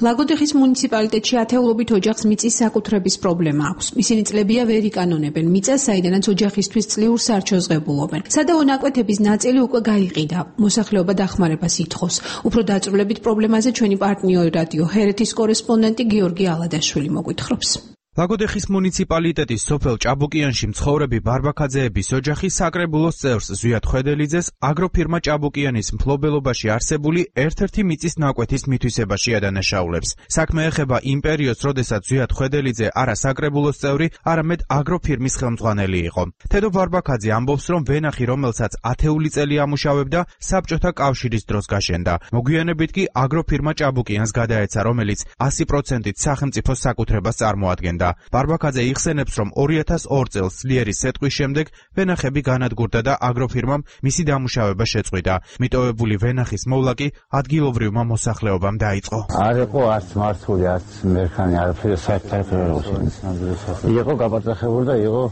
ლაგოდეხის მუნიციპალიტეტში ათეულობით ოჯახს მიწის საკუთრების პრობლემა აქვს. ისინი წლებია ვერ იკანონებენ მიწას, საიდანაც ოჯახისთვის წლიურ სარჩოს ღებულობენ. სადავო ნაკვეთების ნაწილი უკვე გაიყიდა. მოსახლეობა დახმარებას ითხოვს. უფრო დაწვრილებით პრობლემაზე ჩვენი პარტნიორი რადიო ჰერეთის კორესპონდენტი გიორგი ალადაშვილი მოგვითხრობს. ლაგოდეხის მუნიციპალიტეტის სოფელ ჭაბუკიანში მცხოვრები ბარბაქაძეების ოჯახი საკრებულოს წევრს ზვიად ხვედელიძეს აგროფირმა ჭაბუკიანის მფლობელობაში არსებული ერთ-ერთი მიწის ნაკვეთის მითვისებაში ადანაშაულებს. საქმე ეხება იმ პერიოდს, როდესაც ზვიად ხვედელიძე არა საკრებულოს წევრი, არამედ აგროფირმის ხელმძღვანელი იყო. თედო ბარბაქაძე ამბობს, რომ ვენახი, რომელსაც ათეული წელი ამუშავებდა, საბჭოთა კავშირის დროს გაშენდა. მოგვიანებით კი აგროფირმა ჭაბუკიანს გადაეცა, რომელიც 100%-ით სახელმწიფოს საკუთრებას წარმოადგენდა. ბარბაქაძე იხსენებს, რომ 2002 წელს ძლიერი სეტყვის შემდეგ ვენახები განადგურდა და აგროფირმამ მისი დამუშავება შეწყვიტა. მიტოვებული ვენახის მოვლა კი ადგილობრივმა მოსახლეობამ დაიწყო. არ იყო არც მართული, არც მერქანი, არაფერი საერთოდ არ იყო გაბაძახებული და იყო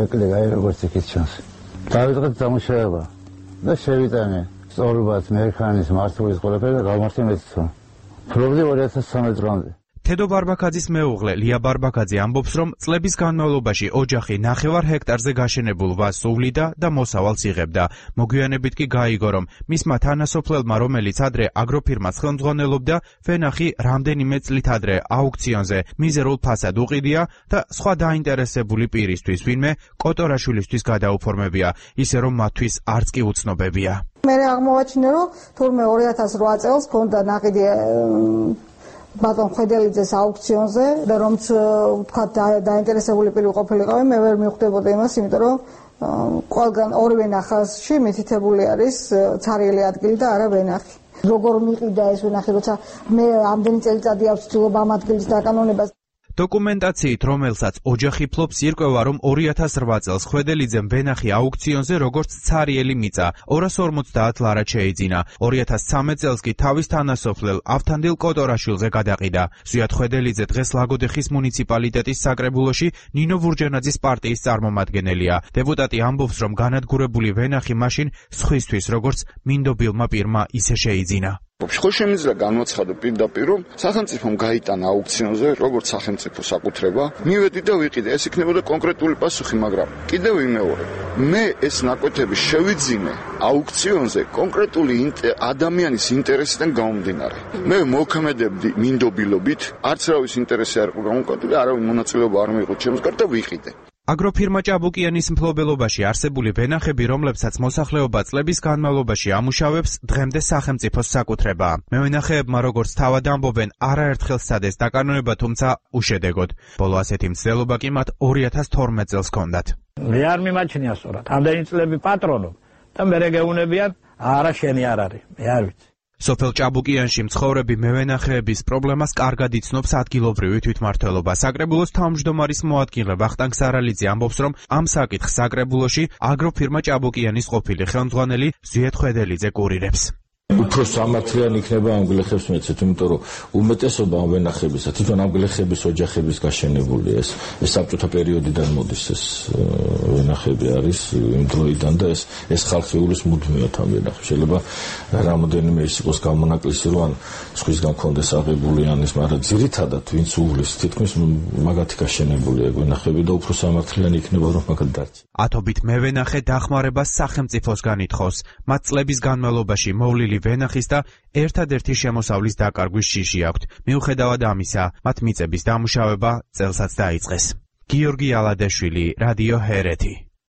ეკლეგა როგორც იქით ჩანს. დავიწყეთ დამუშავება და შევიტანე სწორობაც მერქანის მართულის ყველაფერი და გავმართე მეცნო. ფლობდი 2013 წლამდე. თედო ბარბაქაძის მეუღლე ლია ბარბაქაძე ამბობს, რომ წლების განმავლობაში ოჯახი 9 ჰექტარზე გაშენებულ ვაზს უვლიდა და მოსავალს იღებდა. მოგვიანებით კი გაიგო, რომ მისმა თანასოფლელმა, რომელიც ადრე აგროფირმას ხელმძღვანელობდა, ვენახი რამდენიმე წლით ადრე აუქციონზე მიზერულ ფასად უყიდია და სხვა დაინტერესებული პირისთვის, ვინმე კოტორაშვილისთვის გადაუფორმებია, ისე რომ მათთვის არც კი უცნობებია. მე აღმოვაჩინე, რომ თურმე 2008 წელს ქონდა ნაყიდი ბატონ ხვედელიძეს აუქციონზე და რომც თქვა დაინტერესებული პირი ყოფილიყავი, მე ვერ მივხვდებოდი იმას, იმიტომ რომ ყველგან ორივე ნახაზში მითითებული არის ცარიელი ადგილი და არა ვენახი. როგორ მიყიდა ეს ვენახი, როცა მე ამდენი წელიწადი აქვს ცდილობა ამ ადგილის დაკანონებას. დოკუმენტაციით, რომელსაც ოჯახი ფლობს, ირკვევა, რომ 2008 წელს ხვედელიძემ ვენახი აუქციონზე როგორც ცარიელი მიწა 250 ლარად შეიძინა. 2013 წელს კი თავის თანასოფლელ ავთანდილ კოტორაშვილზე გადაყიდა. ზვიად ხვედელიძე დღეს ლაგოდეხის მუნიციპალიტეტის საკრებულოში ნინო ვურჯანაძის პარტიის წარმომადგენელია. დეპუტატი ამბობს, რომ განადგურებული ვენახი მაშინ სხვისთვის, როგორც მინდობილმა პირმა ისე შეიძინა. ხო შემიძლია განვაცხადო პირდაპირ, რომ სახელმწიფომ გაიტანა აუქციონზე როგორც სახელმწიფო საკუთრება, მივედი და ვიყიდე. ეს იქნებოდა კონკრეტული პასუხი, მაგრამ კიდევ ვიმეორებ. მე ეს ნაკვეთები შევიძინე აუქციონზე კონკრეტული ადამიანის ინტერესიდან გამომდინარე. მე მოქმედებდი მინდობილობით, არც რავის ინტერესი არ იყო გამოკვლეული, არავინ მონაწილეობა არ მიიღო ჩემს გარდა და ვიყიდე. აგროფირმა ჭაბუკიანის მფლობელობაში არსებული ვენახები, რომლებსაც მოსახლეობა წლების განმავლობაში ამუშავებს, დღემდე სახელმწიფოს საკუთრებაა. მევენახეებმა, როგორც თავად ამბობენ, არაერთხელ სცადეს დაკანონება, თუმცა უშედეგოდ. ბოლო ასეთი მცდელობა კი მათ 2012 წელს ჰქონდათ. მე არ მიმაჩნია სწორად. ამდენი წლები პატრონობ და მე გეუბნებიან, არა შენი არ არის, მე არ ვიცი. სოფელ ჭაბუკიანში მცხოვრები მევენახეების პრობლემას კარგად იცნობს ადგილობრივი თვითმმართველობა. საკრებულოს თავმჯდომარის მოადგილე ვახტანგ სარალიძე ამბობს, რომ ამ საკითხს საკრებულოში აგროფირმა ჭაბუკიანის ყოფილი ხელმძღვანელი ზვიად ხვედელიძე კურირებს. უფრო სამართლიანი იქნება ამ გლეხებს მეცეთ, იმიტომ რომ უმეტესობა ამ ვენახებისა თვითონ ამ გლეხების ოჯახების გაშენებული ეს საბჭოთა პერიოდიდან მოდის ეს ვენახები არის იმ დროიდან და ეს ხალხი უვლის მუდმივად ამ ვენახებს. შეიძლება რამოდენიმე ის იყოს გამონაკლისი, რომ ან სხვისგან კონდეს აღებული ანის, მაგრამ ძირითადად ვინც უვლის თითქმის მაგათი გაშენებულია ვენახები და უფრო სამართლიანი იქნება რომ მაგათ დარჩი. ათობით მევენახე დახმარებას სახელმწიფოსგან ითხოვს. მათ წლების განმავლობაში მოვლილი ვენახის და ერთადერთი შემოსავლის დაკარგვის შიში აქვთ. მიუხედავად ამისა, მათ მიწების დამუშავება წელსაც დაიწყეს. გიორგი ალადაშვილი, რადიო ჰერეთი.